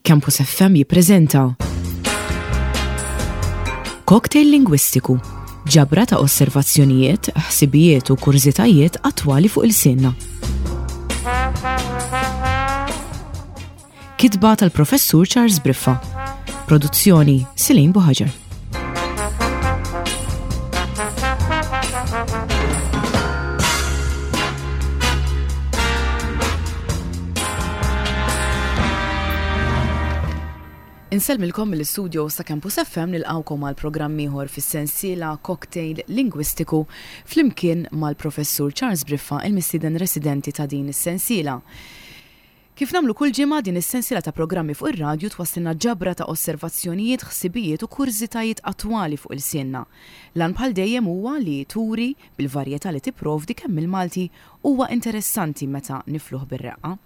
Campus FM jippreżenta Cocktail Lingwistiku, ġabra ta' osservazzjonijiet, ħsibijiet u kurżitajiet attwali fuq il-sinna. Kitba tal-Professur Charles Briffa. Produzzjoni Silin Buħaġar. Insellmilkom mill-istudio sa Campus FM nilqawkom għal programm ieħor fis-sensiela Cocktail Lingwistiku flimkien mal-Professur Charles Briffa il-mistieden residenti ta' din is-sensiela. Kif nagħmlu kull ġimgħa, din is-sensiela ta' programmi fuq ir-radju twasslilna ġabra ta' osservazzjonijiet, ħsibijiet u kurżitajiet attwali fuq ilsienna. L-għan bħal dejjem huwa li turi, bil-varjetà li tipprovdi, kemm il-Malti huwa interessanti meta nifluh bir-reqqa.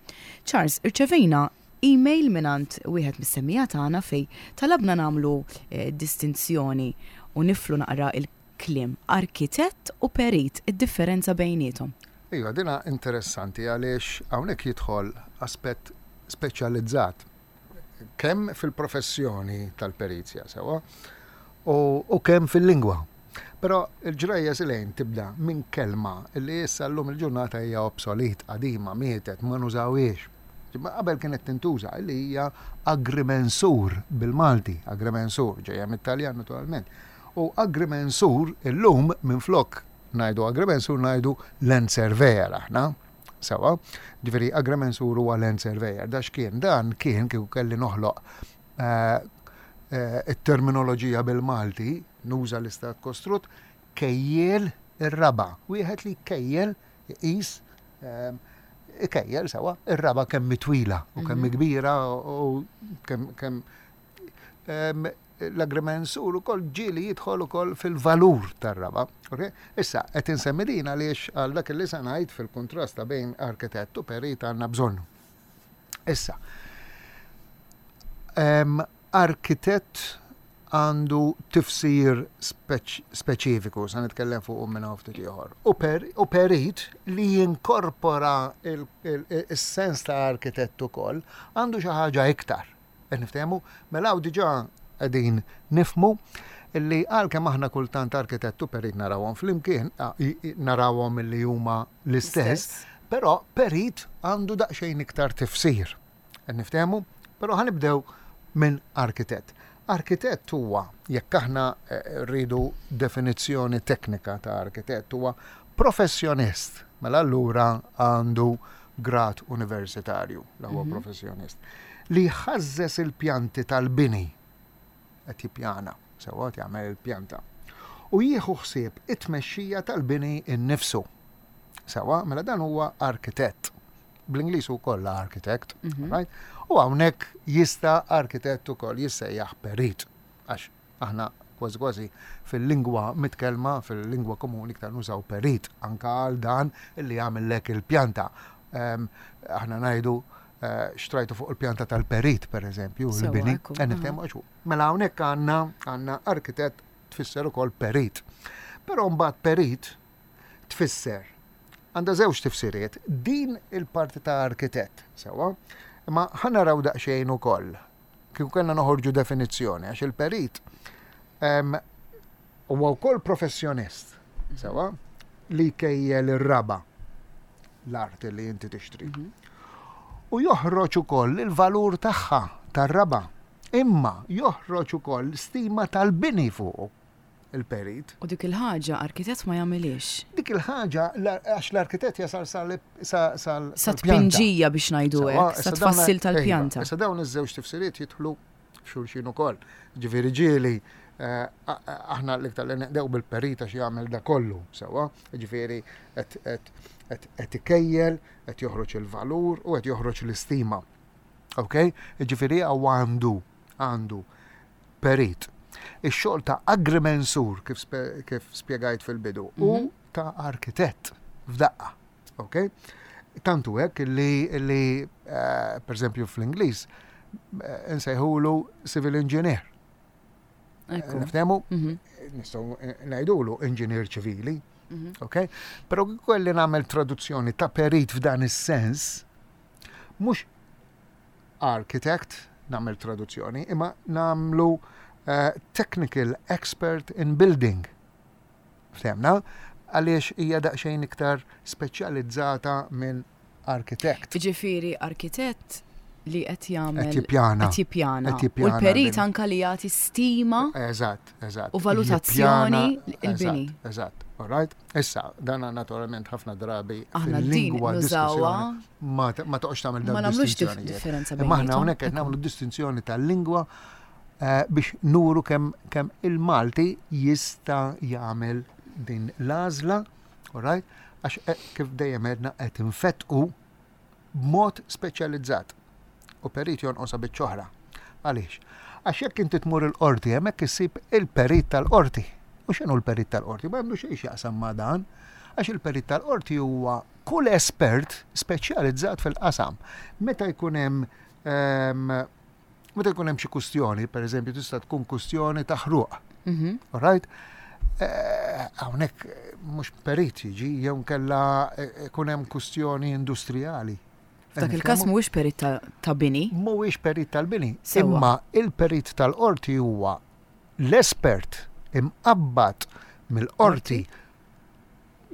Charles, irċevejna email mingħand wieħed mis-semmiegħa tagħna fejn talabna nagħmlu distinzjoni u niflu naqra l-kliem arkitett u perit, id-differenza bejniethom. Iva, din interessanti għaliex hawnhekk jidħol aspett speċjalizzat kemm fil-professjoni tal-perizja sewwa u kemm fil-lingwa. Però il-ġrajja silejn tibda minn kelma li issa llum il-ġurnata hija obsolit, qadima, mietet, ma nużawhiex. Imma qabel kienet tintuża li hija agrimensur bil-Malti, agrimensur ġejja mit-Taljan naturalment. U agrimensur illum minflok ngħidu agrimensur ngħidu land surveyor aħna. Sewa, ġifieri agrimensur huwa land surveyor. Da x'kien? Dan kien kieku kelli noħloq eh, eh, it-terminoloġija bil-Malti, nuża l-istat kostrut, kejjel ir-raba. Wieħed li kejjel iqis eh, ikejjel sewa ir-raba kemm twila u kemm mhm. kbira u kemm kemm L-agrimensur ukoll ġieli jidħol ukoll fil-valur tar-raba'. Okay? Issa, qed insemmi din għaliex għal dak li se ngħid fil-kuntrast ta' bejn arkitett u perit għandna bżonnu. Issa, arkitett għandu tifsir speċifiku, sa nitkellem fuq minn hawn ftit ieħor. U perit li jinkorpora il-sens ta' arkitett ukoll għandu xi ħaġa iktar. Qed niftehmu? Mela hawn diġà qegħdin nifhmu li għalkemm aħna kultant arkitett u perit narawhom flimkien, narawhom li huma l-istess, però perit għandu daqsxejn iktar tifsir. Qed niftehmu? Però ħa nibdew minn arkitett. Arkitett huwa, jekk aħna eh, rridu definizzjoni teknika ta' arkitett, huwa professjonist. Mela allura għandu grad universitarju, l huwa mhm. professjonist, li jħażżes il-pjanti tal-bini qed jippjana, sewwa qed jagħmel il-pjanta. U jieħu ħsieb it-tmexxija tal-bini innifsu. Sewwa, mela dan huwa arkitett. Bl-Ingliż ukoll architect, mhm. right? U hawnhekk jista' arkitett ukoll jissejjaħ perit għax Aħna kważi kważi fil-lingwa mitkellma, fil-lingwa komuni iktar nużaw perit anka għal dan li jagħmillek il-pjanta. Ehm, aħna ngħidu eh, xtrajtu fuq il-pjanta tal-perit, per eżempju, il-bini. Eh, mela hawnhekk għandna għandna arkitett tfisser ukoll perit. Però mbagħad perit tfisser għandha żewġ tifsiriet, din il-parti ta' arkitett, sewwa, imma ħa naraw daqsxejn ukoll kieku kellna noħorġu definizzjoni, għax il-perit huwa wkoll professjonist, sewa, li jkejjel ir-raba l-art li inti tixtri. Mhm. U joħroġ ukoll il-valur tagħha tar-raba. Imma joħroġ ukoll stima tal-bini fuqu. il-perit. U dik il-ħaġa arkitett ma jagħmilhiex. Dik il-ħaġa għax l-arkitett jasal sal sal sa tpinġija biex ngħidu hekk, sa tfassil tal-pjanta. Issa dawn iż-żewġ tifsiriet jidħlu f'xulxin ukoll. Ġifieri ġieli eh, aħna l-iktar li neqdew bil-perit għax jagħmel da kollu sewwa, ġifieri qed ikejjel, qed joħroġ il-valur u qed joħroġ l-istima. Ok? Ġifieri għandu għandu perit. Ix-xogħol ta' agrimensur kif, kif spjegajt fil-bidu u mhm. ta' arkitett f'daqqa. Ok? Tantu hekk li, li uh, per eżempju fl-Ingliż eh, nsejħulu civil engineer. Niftehmu? Mhm. Nistgħu ngħidulu inġinier ċivili. Mhm. Ok? Però kelli nagħmel traduzzjoni ta' perit f'dan is-sens, mhux architect. nagħmel traduzzjoni, imma nagħmlu eh, technical expert in building. Ftehmna? Għaliex hija daqsxejn iktar speċjalizzata minn arkitett. Jiġifieri arkitett li qed jagħmel. Qed jippjana. Qed jippjana. U l-perit anka li jagħti stima. Eżatt, eżatt. U valutazzjoni il-bini. Eżatt, all right. Issa, dan naturalment ħafna drabi Aħna din nużawha. Ma toqgħodx tagħmel dan. Ma nagħmlux differenza bejn. Aħna hawnhekk qed nagħmlu distinzjoni tal-lingwa eh, biex nuru kemm kemm il-Malti jista' jagħmel din l-għażla, all right? Għax eh, kif dejjem għedna qed infettqu b'mod speċjalizzat. U perit jonqosha biċċa oħra. Għaliex? Għax jekk inti tmur il-qorti hemmhekk issib il-perit tal-qorti. U x'inhu l-perit tal-qorti? Ma għandu xejn x'jaqsam ma' dan. Għax il-perit tal-qorti huwa kull espert speċjalizzat fil-qasam. Meta jkun hemm ehm, meta jkun hemm xi kustjoni, per eżempju, tista' tkun kustjoni ta' ħruq. Mhm. All right? Eh, hawnhekk eh, mhux perit jiġi, jew nkella eh, ikun hemm kustjoni industrijali. F'dak il-każ mhuwiex perit ta' bini. Mhuwiex perit tal-bini, imma il-perit tal-qorti huwa l-espert imqabbad mill-qorti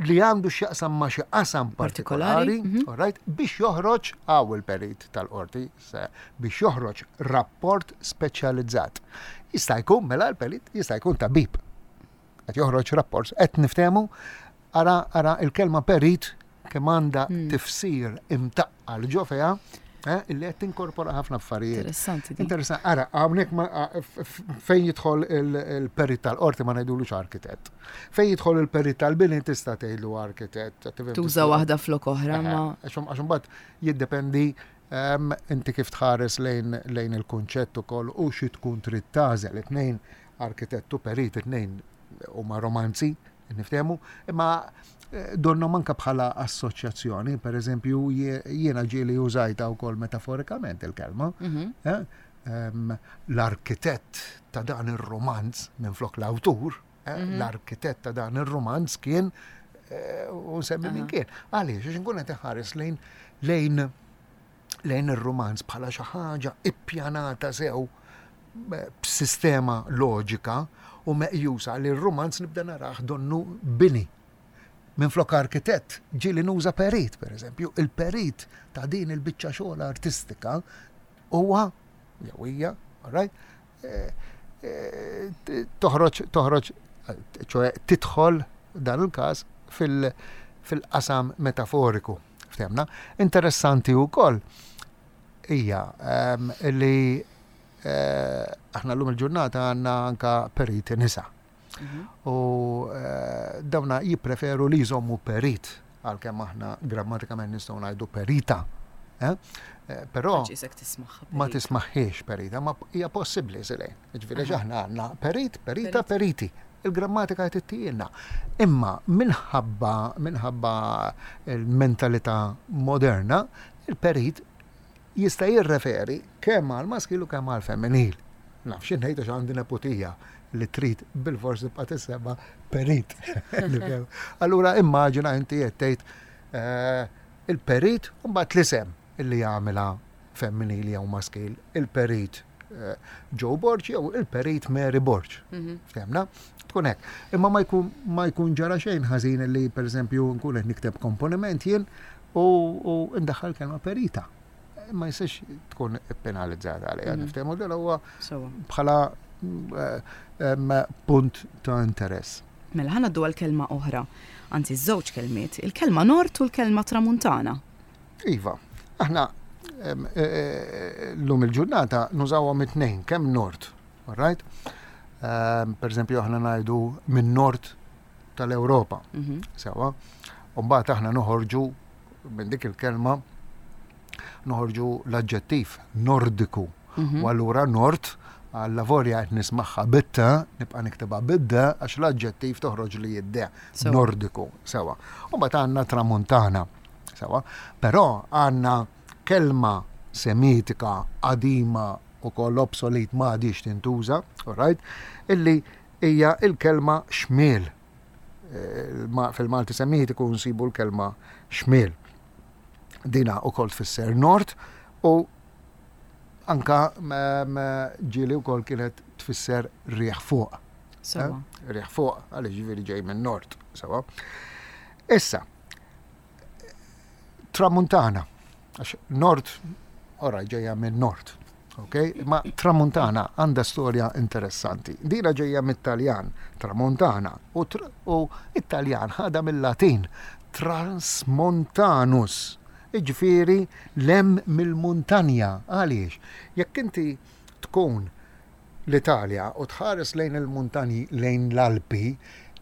li għandu x'jaqsam ma' xi qasam partikolari, mhm. all right, biex joħroġ għaw il-perit tal-qorti, biex joħroġ rapport speċjalizzat. Jista' jkun mela l-perit, jista' jkun tabib. Qed joħroġ rapport, qed niftehmu, ara ara il-kelma perit kemm għandha hmm. tifsir imtaqqal ġo fiha, eh, illi qed tinkorpora ħafna affarijiet. Interessanti. Interessanti. Ara, hawnhekk fejn jidħol il-perit tal-qorti ma ngħidulux arkitett. Fejn jidħol il-perit tal-bini tista' tgħidlu arkitett. Tuża waħda flok oħra ma. Għax imbagħad jiddependi ehm, inti kif tħares lejn lejn il-kunċett ukoll u xi tkun trid tagħżel. It-tnejn arkitett u perit, it-tnejn huma romanzi, niftehmu, imma eh, donnom anka bħala assoċjazzjoni, per eżempju, jiena ġieli użajta wkoll metaforikament il-kelma. Mhm. Eh, ehm, l-arkitett ta' dan ir-romanz minflok l-awtur, eh, mhm. l-arkitett ta' dan ir-romanz kien u nsemmi min kien. Għaliex, għax nkun qed iħares lejn lejn lejn ir-rumanz bħala xi ħaġa ippjanata sew b'sistema loġika u meqjusa li r-rumanz nibda narah donnu bini. Minflok arkitett, ġieli nuża perit, per eżempju, il-perit ta' din il-biċċa xogħol artistika huwa jew hija, all right, eh, eh, toħroġ toħroġ ċoe tidħol dan il-każ fil-qasam metaforiku. Ftehmna. Interessanti wkoll hija ehm, li eh, aħna llum il-ġurnata għandna anka periti nisa. Mhm. U eh, dawna jippreferu li jżommu perit għalkemm aħna grammatikament nistgħu ngħidu perita. Eh? Però ma tismaħħiex perita, ma hija possibbli silejn. Ġifieri aħna għandna perit, perita, periti. Il-grammatika qed ittijilna. Imma minħabba minħabba l-mentalità moderna, il-perit jista' jirreferi kemm għal maskil u kemm għal femminil. Naf xi ngħid għax għandi neputija li trid bilfors tibqa' tissemma perit. Allura immaġina inti qed tgħid eh, il-perit u mbagħad l-isem illi jagħmilha femminili jew maskil, il-perit eh, Joe Borg jew il-perit Mary Borg. Mhm. Ftemna? Tkun hekk. Imma ma jkun ma jkun ġara xejn ħażin li pereżempju nkun qed nikteb komponiment jien u ndaħħal kelma perita. Ma jistax tkun penalizzata għalija, mhm. niftehmu dan huwa bħala eh, punt ta' interess. Mela ħa ngħaddu għal kelma oħra, anzi żewġ kelmiet, il-kelma nord u l-kelma tramuntana. Iva, aħna llum il-ġurnata nużawhom it-tnejn, kemm nord, all right? Per eżempju, aħna ngħidu minn nord tal-Ewropa, mhm. sewa. U mbagħad aħna noħorġu minn dik il-kelma noħorġu l-aġġettiv nordiku. Mhm. U allura nord għalla vorja qed nismagħha bitta, nibqa' niktibha bidda għax l-aġġettiv toħroġ li jidde nordiku sewa. U mbagħad għandna tramuntana. Sewa. Però għandna kelma semitika qadima u koll obsolet ma għadix tintuża, all right, illi hija il-kelma xmiel. Eh, fil-Malti semitiku nsibu l-kelma xmiel. Dina u koll tfisser nord u Anka ġieli wkoll kienet tfisser riħ fuq. Sewa. Eh? Riħ fuq, għaliex ġifieri ġej minn nord, sewa. Issa, tramuntana, għax nord, ora ġejja minn nord, ok? Ma tramuntana għandha storja interessanti. Dina ġejja mit-Taljan, tramuntana, u, u it-Taljan ħada mill-Latin, transmontanus, Jiġifieri 'l hemm mill-muntanja. Għaliex? Jekk inti tkun l-Italja u tħares lejn il-muntanji, lejn l-Alpi,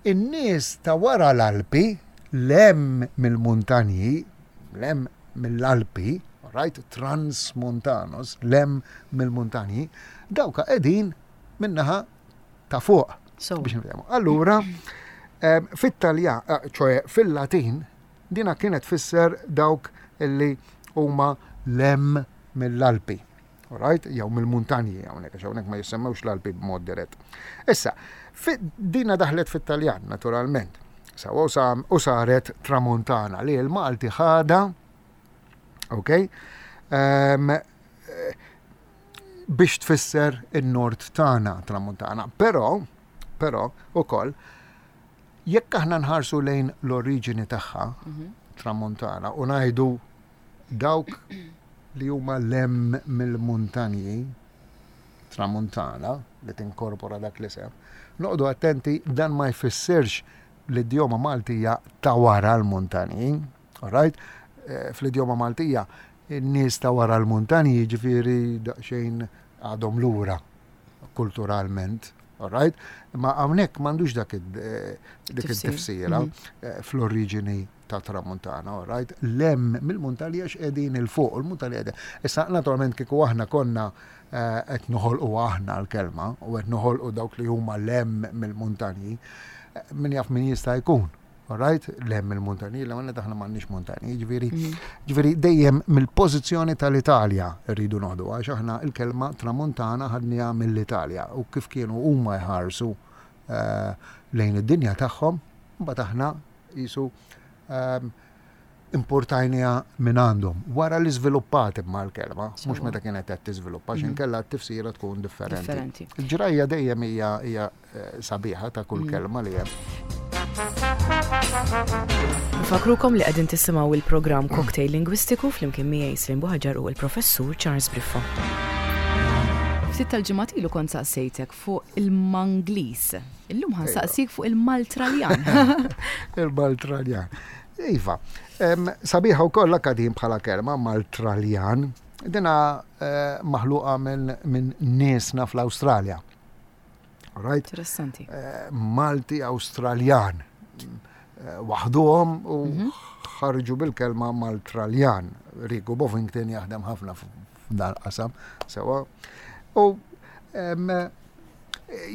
in-nies ta' wara l-Alpi, 'l hemm mill-muntanji, 'l hemm mill-Alpi, alright, transmontanos, 'l hemm mill-muntanji, dawk qegħdin min-naħa ta' fuq. Biex nifhmu. Allura, fit-Taljan, ċoe fil-Latin, Dina kienet tfisser dawk illi huma 'l hemm mill-Alpi. Alright? Jew mill-muntanji hawnhekk, għax hawnhekk ma jissemmewx l-Alpi b'mod dirett. Issa, dina daħlet fit-Taljan, naturalment. Sawa u saret tramontana li l-Malti ħada, ok? Um, biex tfisser in-nord tagħna tramuntana. Però, però, ukoll, Jekk aħna nħarsu lejn l-oriġini tagħha, tramuntana, u ngħidu dawk li huma 'l hemm mill-muntanji, tramuntana, li tinkorpora dak l-isem, noqogħdu attenti dan ma jfissirx l-idjoma Maltija ta' wara l-muntanji, all right? Fl-idjoma Maltija, in-nies ta' wara l-muntanji jiġifieri daqsxejn għadhom lura. kulturalment, all right? Ma hawnhekk m'għandux dak eh, dik it-tifsira mhm. eh, fl-oriġini ta' tramuntana, all right? Lem mill-muntali għax qegħdin il-fuq, il-muntali qegħdin. Issa naturalment kieku aħna konna eh, qed noħolqu aħna l-kelma u qed noħolqu dawk li huma lem mill-muntanji, min jaf min jista' jkun. Alright? Lem il-muntanji, l għanna taħna m'għandniex muntanji, ġifieri, mhm. ġifieri dejjem mill-pożizzjoni tal-Italja rridu noħdu għax aħna il-kelma tramuntana ħadniha mill-Italja u kif kienu huma jħarsu eh, lejn id-dinja tagħhom, mbagħad aħna jisu ehm, importajniha minn għandhom. Wara li żviluppat imma l-kelma, mhux meta kienet qed tiżviluppa, għax mhm. inkella t-tifsira tkun differenti. Il-ġrajja dejjem hija hija eh, sabiħa ta' kull mhm. kelma li hemm. Nfakrukom li qegħdin tisimgħu il-programm Cocktail Lingwistiku flimkien miegħi Slim Buħaġar u l-Professur Charles Briffa. Ftit tal-ġimgħat ilu kont saqsejtek fuq il-Manglis. Illum ħa nsaqsik fuq il-Maltraljan. Il-Maltraljan. Iva, sabiħa wkoll anke din bħala kelma Maltraljan. Dina eh, maħluqa minn niesna fl-Awstralja. Right? Interessanti. Eh, Malti Awstraljan. Eh, waħduhom u mhm. ħarġu bil-kelma Maltraljan. Riku Bovington jaħdem ħafna f'dan qasam. Sewa. U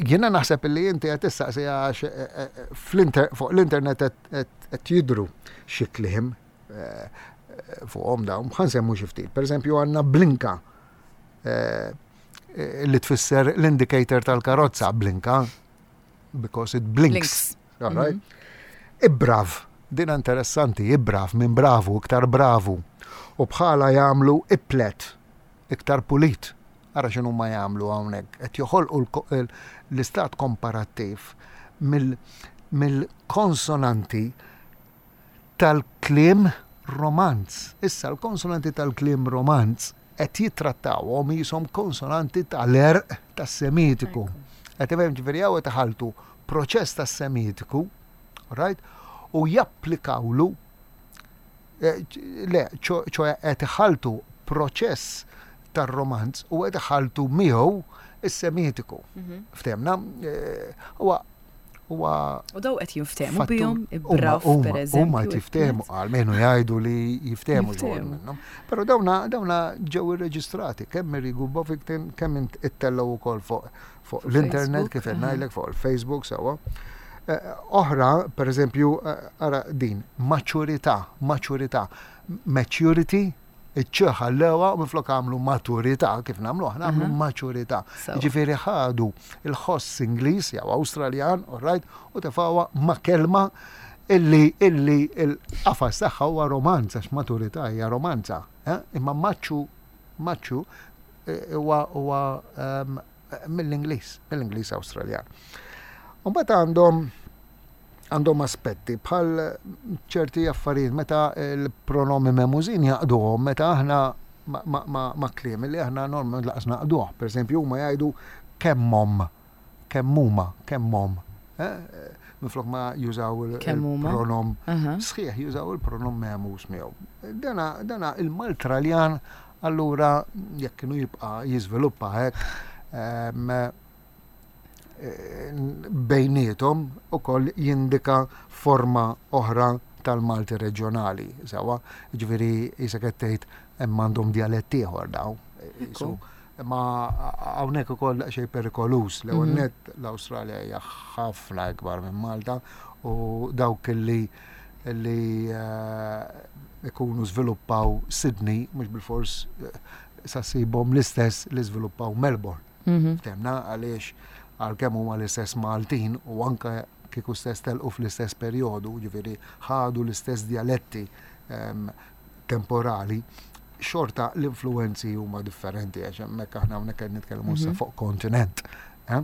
jiena naħseb li inti qed tistaqsi għax eh, eh, fuq l-internet qed jidru xi kliem eh, fuqhom dawn, ħa nsemmu xi ftit. Pereżempju għandna blinka li tfisser l-indicator tal-karozza blinka because it blinks. All right? Mhm. Ibrav, din interessanti, ibrav minn bravu, iktar bravu. U bħala jagħmlu iplet, iktar pulit. Ara x'inhu ma jagħmlu hawnhekk, qed joħolqu l-istat komparattiv mill-konsonanti tal-kliem Romanz. Issa l-konsonanti tal-kliem Romanz qed jittrattawhom qishom konsonanti tal-għerq tas-Semitiku. Qed tifhem ġifieri hawn qed iħalltu proċess tas-Semitiku, right, u japplikawlu eh, le, ċoe qed iħalltu proċess tar-Romanz u qed iħalltu miegħu is-Semitiku. Mhm. Ftehmna? Eh, huwa huwa. U daw qed jinftehmu bihom, braf pereżempju. Huma qed jiftehmu, almenu jgħidu li jiftehmu minnhom. Però dawna dawna ġew irreġistrati kemm Mirigu Bovington kemm ittellgħu wkoll fuq fuq l-internet kif qed ngħidlek fuq il-Facebook sewwa. Eh, oħra, pereżempju, eh, ara din, maċurità, maċurità, maturity Iċ-ċ ħallewha u minflok għamlu maturità, kif nagħmlu aħna għamlu mhm. maċurità. Jiġifieri ħadu il-ħoss Ingliż jew Awstraljan, all right, u tefgħuha ma' kelma illi illi il-qafas tagħha huwa romanza, għax maturità hija romanza. Eh? Imma maċċu maċċu huwa huwa mill-Ingliż, mill-Ingliż Awstraljan. U mbagħad għandhom għandhom aspetti bħal ċerti affarijiet meta l-pronomi memużin jaqduhom meta aħna ma' kliem li aħna normalment laqas naqduh. Per eżempju, huma jgħidu kemmhom, kemm huma, kemmhom. Eh? Minflok ma jużaw il-pronom sħiħ, jużaw il-pronom memuż miegħu. Dana, dana il-Maltraljan allura jekk kienu jibqa' jiżviluppa hekk bejniethom ukoll jindika forma oħra tal-Malti reġjonali, sewwa, jiġifieri qisek qed tgħid hemm għandhom djalett ieħor dawn. Imma hawnhekk ukoll daqsxejn perikoluż. L-ewwel mhm. nett l-Awstralja hija ħafna ikbar minn Malta u dawk li li eh, ikunu żviluppaw Sydney, mhux bilfors eh, sa ssibhom l-istess li żviluppaw Melbourne. Mhm. Temna għaliex għalkemm huma l-istess Maltin u anke kieku stess telqu fl-istess perjodu, ġifieri ħadu l-istess djaletti ehm, temporali, xorta l-influenzi huma differenti għax hemmhekk aħna hawnhekk qed nitkellmu issa mhm. fuq kontinent. Eh?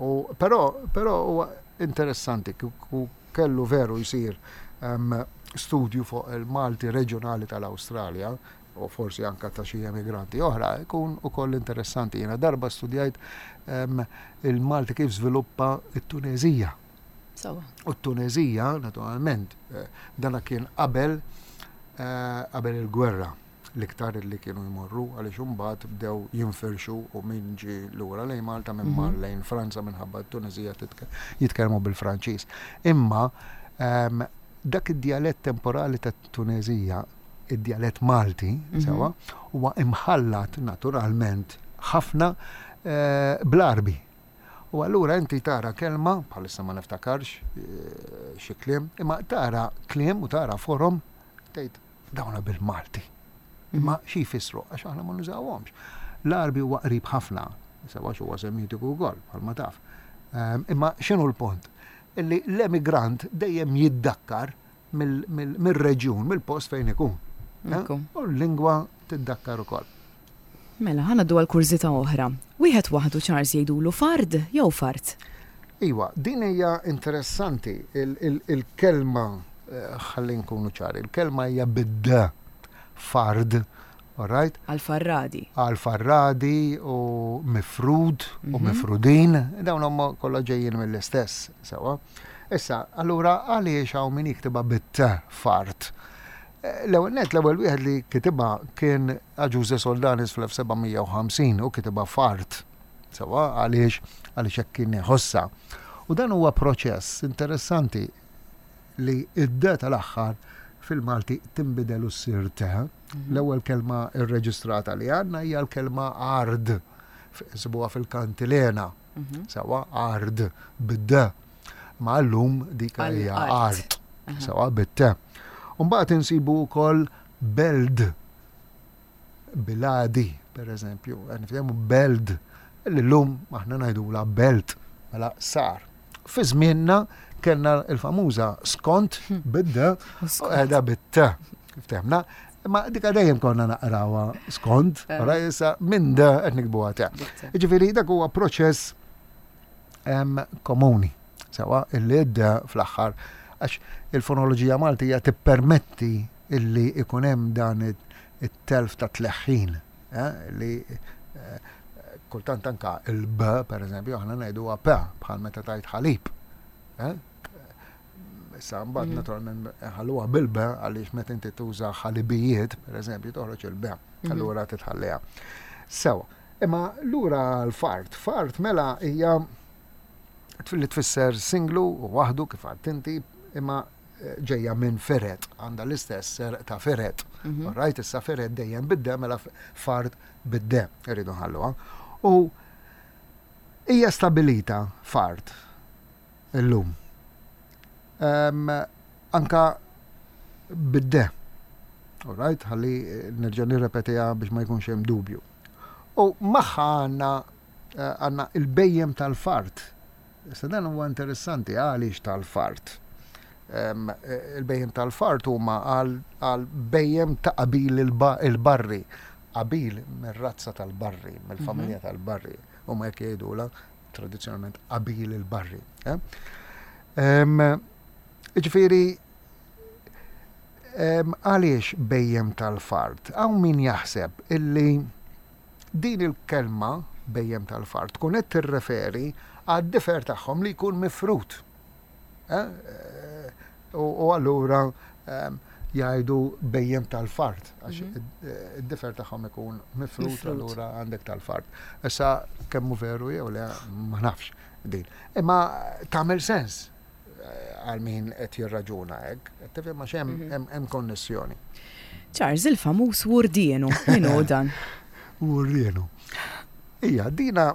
U però però huwa interessanti kieku kellu veru jsir ehm, studju fuq il-Malti reġjonali tal-Awstralja, u forsi anka ta' xi emigranti oħra, ikun ukoll interessanti. Jiena darba studjajt ehm, il-Malti kif żviluppa t-Tunezija. U t-Tunezija, naturalment, eh, dana kien qabel eh, qabel il-gwerra l-iktar li kienu jmorru għaliex imbagħad bdew jinfirxu u min ġie lura lejn Malta minn mar mhm. lejn Franza minħabba t-Tunezija jitkellmu bil-Franċiż. Imma ehm, dak id-djalett temporali tat-Tunezija id-djalett Malti, mhm. sewa, huwa imħallat naturalment ħafna eh, bl-Arbi. U allura inti tara kelma, bħalissa ma niftakarx eh, xi kliem, imma tara kliem u tara forom tgħid dawna bil-Malti. Mhm. Imma xi jfissru għax aħna ma nużawhomx. L-Arbi huwa qrib ħafna, sewa huwa semitiku wkoll bħalma taf. Ehm, imma x'inhu l-punt? Illi l-emigrant dejjem jiddakkar mir-reġjun, mill-post fejn ikun. Eh? U l-lingwa tiddakkar ukoll. Mela, ħa ngħaddu għal kurżità oħra. Wieħed waħdu Charles jgħidulu fard jew fart? Iwa, din hija interessanti, il-kelma, eh, ħalli nkunu ċari, il-kelma hija bid-d, fard, all right? Għal farradi. Għal farradi u mifrud u mhm. mifrudin, dawn huma kollha ġejjin mill-istess, sewa. Issa, allura għaliex hawn min jiktibha bit-t fart? Eh, l-ewwel net l-ewwel wieħed li kitibha kien Aġuże Soldanis fl-1750 u kitibha fart. Sewa għaliex għaliex hekk kien iħossha. U dan huwa proċess interessanti li id-d tal-aħħar fil-Malti tinbidel u ssir te. Mhm. L-ewwel kelma rreġistrata li għandna hija l-kelma ard. Sibuha fil-kantilena. Mhm. Sewa ard bid-d. Ma llum dik hija art. Sewa bit-te. Mbagħad insibu wkoll beld biladi, per eżempju, nifhemu beld, li llum aħna ngħidula belt, mela sar. Fi żmienna kellna l-famuża skont hmm. bid-d u qiegħda bit-t. Ftemna, imma dika dejjem konna naqrawha skont, eh. ora issa minn d qed nikbuha te. Jiġifieri dak huwa proċess komuni. Sewa illi d fl-aħħar għax il-fonoloġija Maltija tippermetti illi ikun hemm dan it-telf ta' tleħħin eh, li eh, kultant anka il-b, per eżempju, aħna ngħiduha p bħal meta tajt ħalib. Eh? Issa mbagħad mm. naturalment ħalluha bil-b għaliex meta inti tuża ħalibijiet, per eżempju, toħroġ il-b, mm-hmm. allura titħalliha. Sewa, imma lura l-fart, fart mela hija li tfisser singlu u waħdu kif għadt inti, imma eh, ġejja minn feret, għandha l-istess serq ta' feret. Mhm. Rajt issa feret dejjem bid-dem, mela fart bid-dem, irridu nħalluha. U hija stabilita fart illum. Um, anka bid-de. Alright, ħalli eh, nerġa' nirrepetiha biex ma jkunx hemm dubju. U magħha għandna eh, għandna il-bejjem tal-fart. Issa dan huwa interessanti għaliex tal-fart. Eh, il-bejjem tal-fart huma għal bejjem ta' qabil il-barri. Qabil mir-razza tal-barri, mill-familja tal-barri, huma hekk jgħidulha tradizzjonalment qabil il-barri. Eh? Ġifieri għaliex bejjem tal-fart? Hawn min jaħseb illi din il-kelma bejjem tal-fart tkun qed tirreferi għad-difer tagħhom li jkun mifrut. Eh? U allura jgħidu bejjem tal-fart, għax mhm. id-difer tagħhom ikun mifrut, allura għandek tal-fart. Issa kemmu veru jew le ma nafx din. Imma tagħmel sens eh, għal min qed jirraġuna hekk, qed tifhem għax hemm mhm. hemm konnessjoni. Charles il-famuż Wurdienu, min hu dan? Wurdienu. Ija, dina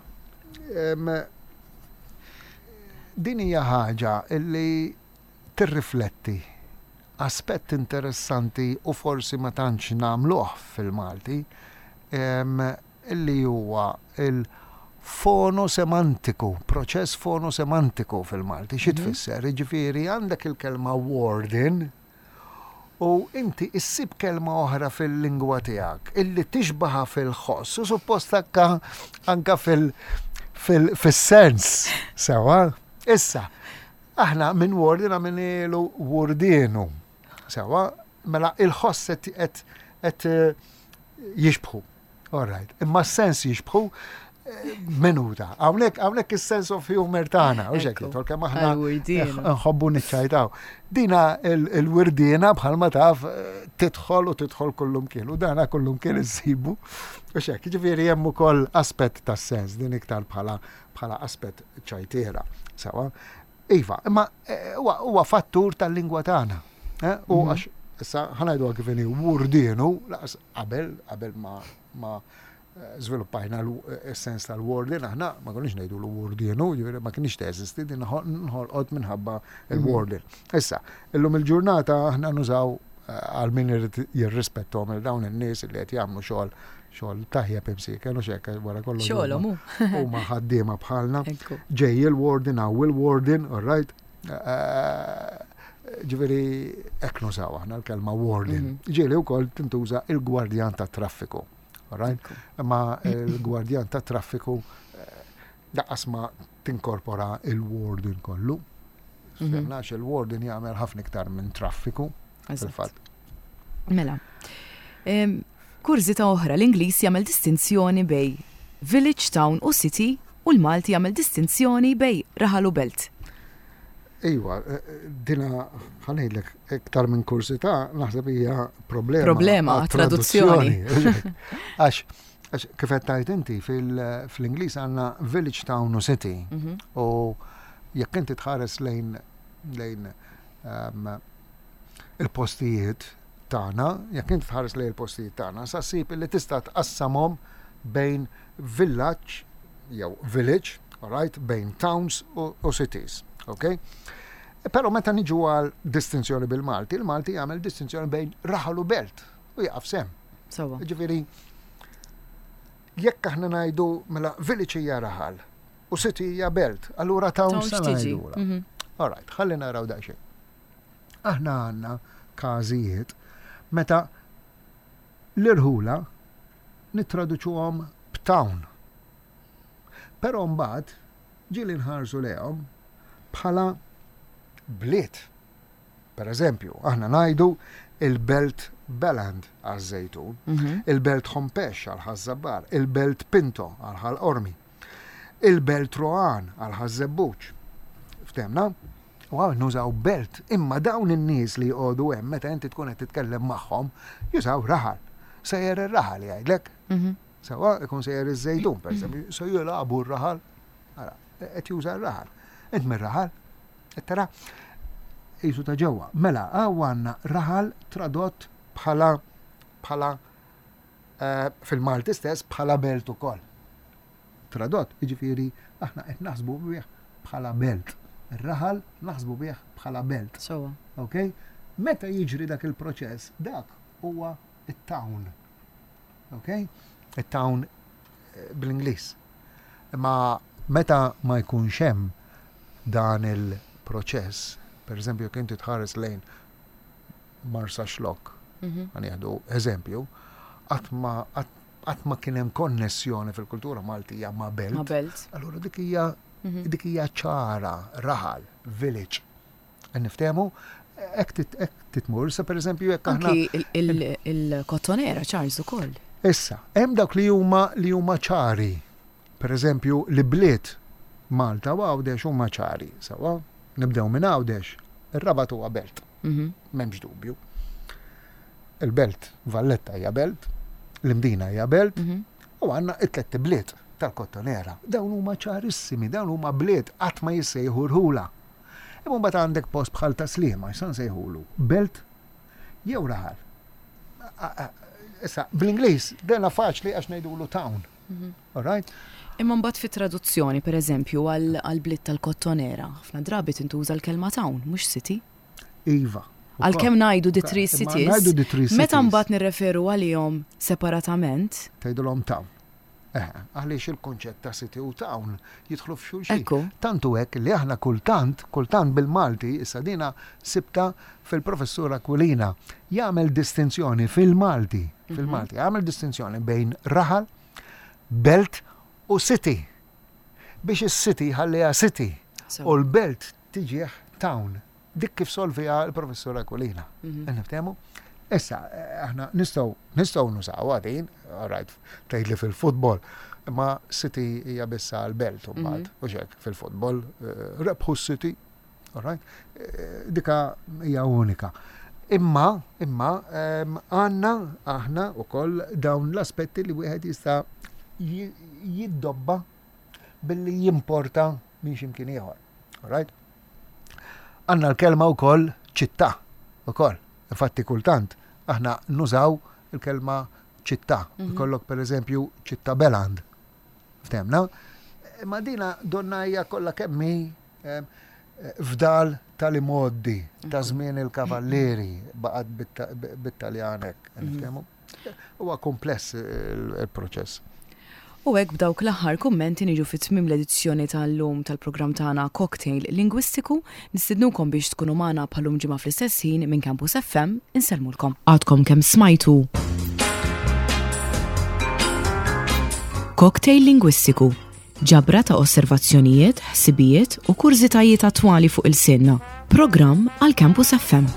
din hija ħaġa illi tirrifletti aspett interessanti u forsi ma tantx nagħmluh fil-Malti, illi huwa il-fonosemantiku, proċess fonosemantiku fil-Malti. Xi mhm. tfisser? Jiġifieri għandek il-kelma warden u inti issib kelma oħra fil-lingwa tiegħek illi tixbaha fil-ħoss u suppost anka anka fil-sens sewa. Issa, Aħna minn warden għamilnielu wardienu. Sewa, mela il-ħoss qed eh, jixbħu. All right. Imma s-sens jixbħu eh, minuta. Hawnhekk hawnhekk is-sense of humor tagħna, u xek jidħol kemm aħna nħobbu niċċajtaw. Dina il-wirdiena bħalma taf eh, tidħol u tidħol kullum kien u dana kullum kien issibu. U xek, ġifieri hemm ukoll aspett tas-sens din iktar bħala bħala aspett ċajtiera. Sewa. Iva, imma eh, huwa fattur tal-lingwa tagħna. Eh, u mhm. għax issa ħanajdu kif inhi wurdienu laqas qabel qabel ma ma eh, żviluppajna l-sens tal-warden, aħna ma konniex ngħidu l-wardienu, ġifieri ma kienx teżisti din nħolqot minħabba il-warden. Mhm. Issa, illum il-ġurnata aħna nużaw għal min irid jirrispettom il dawn in-nies li qed jagħmlu xogħol xogħol tajjeb imsieken u xekk wara kollox. Xogħolhom hu. Huma ħaddiema bħalna. Ġej il-warden hawn il-warden, all right. Eh, eh, ġifieri hekk nużaw aħna l-kelma warden. Mhm. Ġieli wkoll tintuża il-gwardjan tat-traffiku. All right? Imma il-gwardjan tat-traffiku eh, daqqas ma tinkorpora il-warden kollu. Mhm. Fehmna il-warden jagħmel ħafna iktar minn traffiku. Fil-fatt. Mela. Kurżità oħra, l-Ingliż jagħmel distinzjoni bej village, town u city u l-Malti jagħmel distinzjoni bej raħal u belt. Iva, eh, eh, dina ħanejdlek iktar minn kursità naħseb hija problema. Problema, traduzzjoni. Għax Għax kif qed tgħid inti fl-Ingliż għandna village, town u city. Mhm. U jekk inti tħares lejn lejn ehm, il-postijiet tagħna, jekk inti tħares lejn il-postijiet tagħna, sa ssib li tista' tqassamhom bejn villaġġ jew village, alright, bejn towns u, u cities, ok? Però meta niġu għal distinzjoni bil-Malti, il-Malti jagħmel distinzjoni bejn raħal u belt u jaqaf sem. Sawa. Ġifieri, jekk aħna ngħidu mela village hija raħal u city hija belt, allura town sa ngħidula. Mhm. All right, ħalli naraw daqsxejn. Aħna għandna każijiet meta l-irħula nittraduċuhom b'town. Però mbagħad ġieli nħarsu lejhom bħala bliet. Per eżempju, aħna ngħidu il-belt Beland għaż-Żejtun, mhm. il-belt Hompex għal Ħaż-Żabbar, il-belt Pinto għal Ħal Qormi, il-belt Rohan għal Ħaż-Żebbuġ. Ftemna? U għaw nużaw belt, imma dawn in-nies li jqogħdu hemm meta inti tkun qed titkellem magħhom, jużaw raħal. Sejjer ir-raħal jgħidlek. Mhm. Sewa ikun sejjer iż-Żejtun, per eżempju, se jilagħbu r-raħal. Ara, qed juża r-raħal. Int mir-raħal, Qed tara? Qisu ta' ġewwa. Mela, hawn għandna raħal tradott bħala bħala eh, fil-Malti stess bħala belt ukoll. Tradott, jiġifieri aħna qed naħsbu bih bħala belt. Ir-raħal naħsbu bih bħala belt. Sewwa. Ok? Meta jiġri dak il-proċess, dak huwa it-town. Ok? It-town eh, bl-Ingliż. Imma meta ma jkunx hemm dan il-proċess, per eżempju jekk inti tħares lejn Marsaxlokk, mhm. ħa nieħdu eżempju, qatt ma qatt ma kien hemm konnessjoni fil-kultura Maltija ma' belt. Ma' belt. Allura dik hija mhm. dik hija ċara, raħal, village. Niftehmu, hekk titmur, sa pereżempju jekk aħna. Il-kottonera Charles ukoll. Issa, hemm dawk li huma li huma ċari. Pereżempju, li bliet Malta u Għawdex huma ċari, sewwa? Nibdew minn Għawdex, ir-Rabat huwa belt. Mhm. M'hemmx dubju. Il-belt Valletta hija belt, l-Imdina hija belt, mhm. u għandna it-tlett bliet tal-Kottonera. Dawn huma ċarissimi, dawn huma bliet qatt ma jissejħu rħula. Imma mbagħad għandek post bħal Taslima, x'sa nsejħulu? Belt jew raħal. Issa, bl-Ingliż, dena faċli għax ngħidulu town. Mhm. All right? Imma mbagħad fit-traduzzjoni, pereżempju, għall-bliet tal-Kottonera, ħafna drabi tintuża l-kelma town, mhux city. Iva. Għalkemm ngħidu the three cities, meta mbagħad nirreferu għalihom separatament. Tgħidulhom town. Eh, għaliex il-konċett ta' city u town jidħlu f'xulxin. Tant hu hekk li aħna kultant, kultant bil-Malti, issa dina sibta fil-professur Aquilina, jagħmel distinzjoni fil-Malti, mhm. fil-Malti, jagħmel distinzjoni bejn raħal, belt u city. Biex is-city ħalliha city u l-belt tiġih town. Dik kif solviha l-professur Aquilina. Mhm. Niftehmu? Issa, eh, aħna nistgħu nistgħu nużawha din, right, tgħid li fil-futbol, imma City hija biss għall-belt u mbagħad, mhm. u xek fil-futbol, eh, rebħu City, right? Eh, dika hija unika. Imma, imma, ehm, għanna, aħna u koll dawn l-aspetti li wieħed jista' jiddobba billi jimporta minn ximkien ieħor. Right? Għandna l-kelma wkoll ċittà ukoll. Infatti kultant aħna nużaw il-kelma ċittà. Mhm. Ikollok pereżempju ċittà Beland. Ftemna? Ma dina donna hija kollha kemm hi eh, fdal tal-imoddi ta' mhm. żmien il-kavallieri baqgħet bit-Taljan hekk. Mhm. Huwa kumpless il-proċess. U hekk b'dawk l-aħħar kummenti niġu fi tmiem l-edizzjoni tal-lum tal-programm tagħna Cocktail Lingwistiku. Nistidnukom biex tkunu magħna bħal-lum ġimgħa fl-istess ħin minn Campus FM. Insellmulkom. Għadkom kemm smajtu Cocktail Lingwistiku Ġabra ta' osservazzjonijiet, ħsibijiet u kurżitajiet attwali fuq ilsienna. Programm għal Campus FM.